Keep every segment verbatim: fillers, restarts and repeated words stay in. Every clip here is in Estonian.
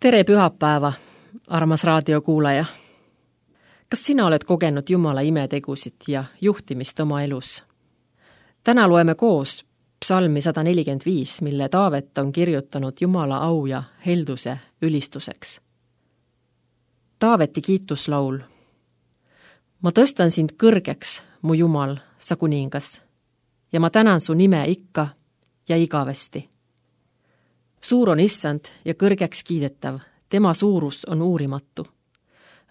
Tere pühapäeva, armas raadiokuulaja. Kas sina oled kogenud Jumala imetegusid ja juhtimist oma elus? Täna loeme koos psalmi sada nelikümmend viis, mille Taavet on kirjutanud Jumala au ja helduse ülistuseks. Taaveti kiituslaul. Ma tõstan sind kõrgeks, mu Jumal, sa kuningas, ja ma tänan su nime ikka ja igavesti. Suur on issand ja kõrgeks kiidetav, tema suurus on uurimatu.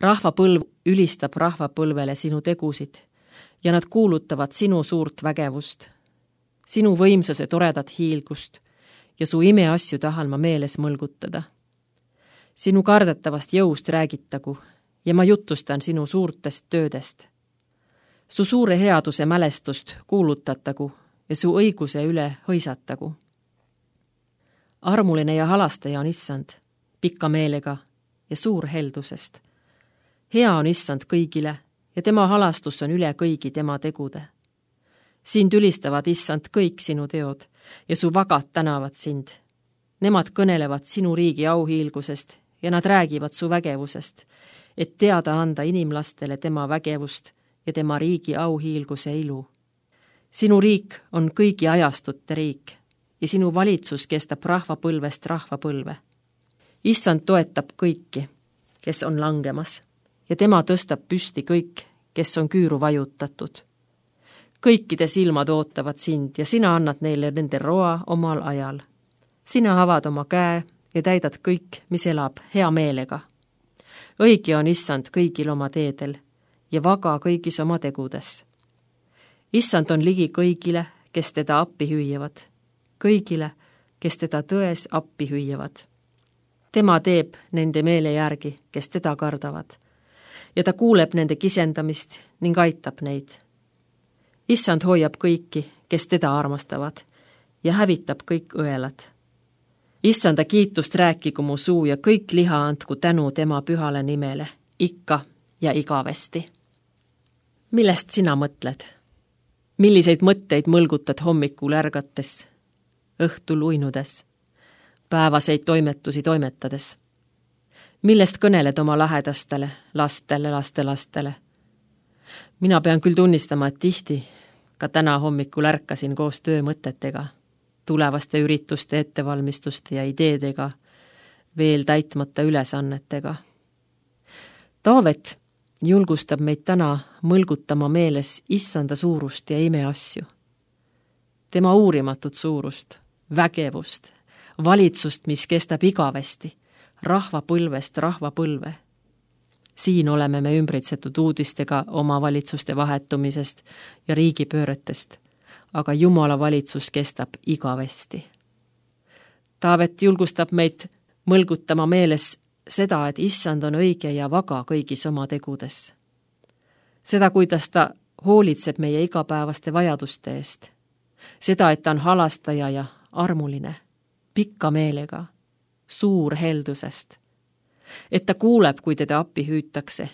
Rahvapõlv ülistab rahvapõlvele sinu tegusid ja nad kuulutavad sinu suurt vägevust, sinu võimsuse toredat hiilgust ja su imeasju tahan ma meeles mõlgutada. Sinu kardetavast jõust räägitagu ja ma jutustan sinu suurtest töödest. Su suure headuse mälestust kuulutatagu ja su õiguse üle hõisatagu. Armuline ja halastaja on issand, pikka meelega ja suur heldusest. Hea on issand kõigile ja tema halastus on üle kõigi tema tegude. Sind ülistavad issand kõik sinu teod ja su vagad tänavad sind. Nemad kõnelevad sinu riigi auhiilgusest ja nad räägivad su vägevusest, et teada anda inimlastele tema vägevust ja tema riigi auhiilguse ilu. Sinu riik on kõigi ajastute riik ja sinu valitsus kestab rahvapõlvest rahvapõlve. Issand toetab kõiki, kes on langemas, ja tema tõstab püsti kõik, kes on küüru vajutatud. Kõikide silmad ootavad sind ja sina annad neile nende roa omal ajal. Sina avad oma käe ja täidad kõik, mis elab hea meelega. Õige on issand kõigil oma teedel ja vaga kõigis oma tegudes. Issand on ligi kõigile, kes teda appi hüüavad. Kõigile, kes teda tões appi hüüavad. Tema teeb nende meele järgi, kes teda kardavad, ja ta kuuleb nende kisendamist ning aitab neid. Issand hoiab kõiki, kes teda armastavad, ja hävitab kõik õelad. Issanda kiitust rääkigu mu suu ja kõik liha andku tänu tema pühale nimele, ikka ja igavesti. Millest sina mõtled? Milliseid mõtteid mõlgutad hommikul ärgates? Õhtul uinudes, päevaseid toimetusi toimetades. Millest kõneled oma lähedastele, lastele, lastelastele? Mina pean küll tunnistama, et tihti, ka täna hommikul ärkasin koos töömõtetega, tulevaste ürituste ettevalmistuste ja ideedega, veel täitmata ülesannetega. Taavet julgustab meid täna mõlgutama meeles issanda suurust ja imeasju. Tema uurimatut suurust, vägevust, valitsust, mis kestab igavesti, rahvapõlvest rahvapõlve. Siin oleme me ümbritsetud uudistega oma valitsuste vahetumisest ja riigipööretest, aga Jumala valitsus kestab igavesti. Taavet julgustab meid mõlgutama meeles seda, et issand on õige ja vaga kõigis oma tegudes. Seda, kuidas ta hoolitseb meie igapäevaste vajaduste eest. Seda, et ta on halastaja ja armuline, pikka meelega, suur heldusest. Et ta kuuleb, kui teda appi hüütakse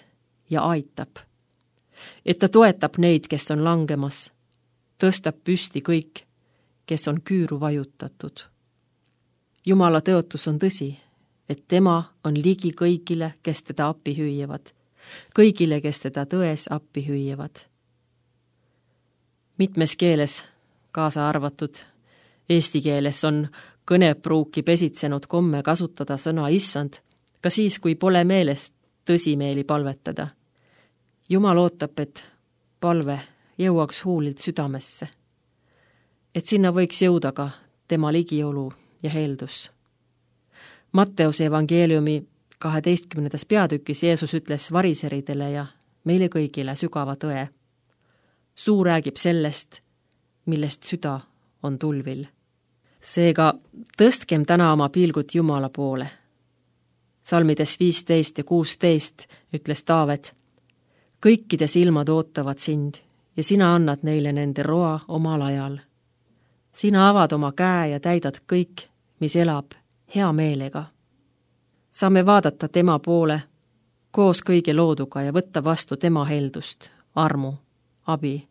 ja aitab. Et ta toetab neid, kes on langemas, tõstab püsti kõik, kes on küüru vajutatud. Jumala tõotus on tõsi, et tema on ligi kõigile, kes teda appi hüüjavad, kõigile, kes teda tões appi hüüjavad. Mitmes keeles, kaasa arvatud eesti keeles, on kõnepruuki pesitsenud komme kasutada sõna issand, ka siis, kui pole meelest tõsimeeli palvetada. Jumal ootab, et palve jõuaks huulilt südamesse, et sinna võiks jõuda ka tema ligiolu ja heldus. Matteuse evangeeliumi kaheteistkümnendas peatükis Jeesus ütles variseridele ja meile kõigile sügava tõe. Suu räägib sellest, millest süda on tulvil. Seega tõstkem täna oma pilgud Jumala poole. Salmides viisteist ja kuusteist ütles Taavet, kõikide silmad ootavad sind ja sina annad neile nende roa omal ajal. Sina avad oma käe ja täidad kõik, mis elab hea meelega. Saame vaadata tema poole koos kõige looduga ja võtta vastu tema heldust, armu, abi.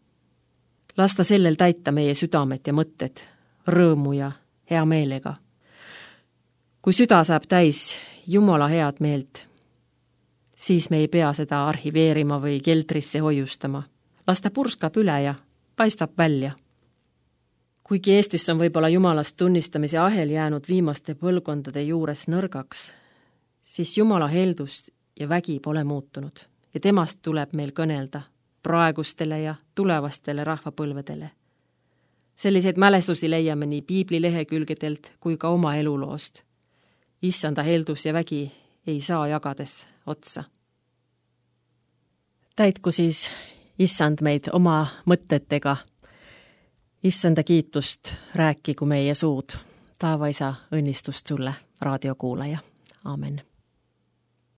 Lasta sellel täita meie südamet ja mõtted, rõõmu ja hea meelega. Kui süda saab täis Jumala head meelt, siis me ei pea seda arhiveerima või keldrisse hoiustama. Las ta purskab üle ja paistab välja. Kuigi Eestis on võib-olla Jumalast tunnistamise ahel jäänud viimaste põlvkondade juures nõrgaks, siis Jumala heldust ja vägi pole muutunud ja temast tuleb meil kõnelda praegustele ja tulevastele rahvapõlvedele. Selliseid mälestusi leiame nii piibli lehekülgedelt kui ka oma eluloost. Issanda heldus ja vägi ei saa jagades otsa. Täitku siis Issand meid oma mõtetega. Issanda kiitust rääkigu meie suud. Taeva Isa õnnistust sulle, raadiokuulaja. Aamen.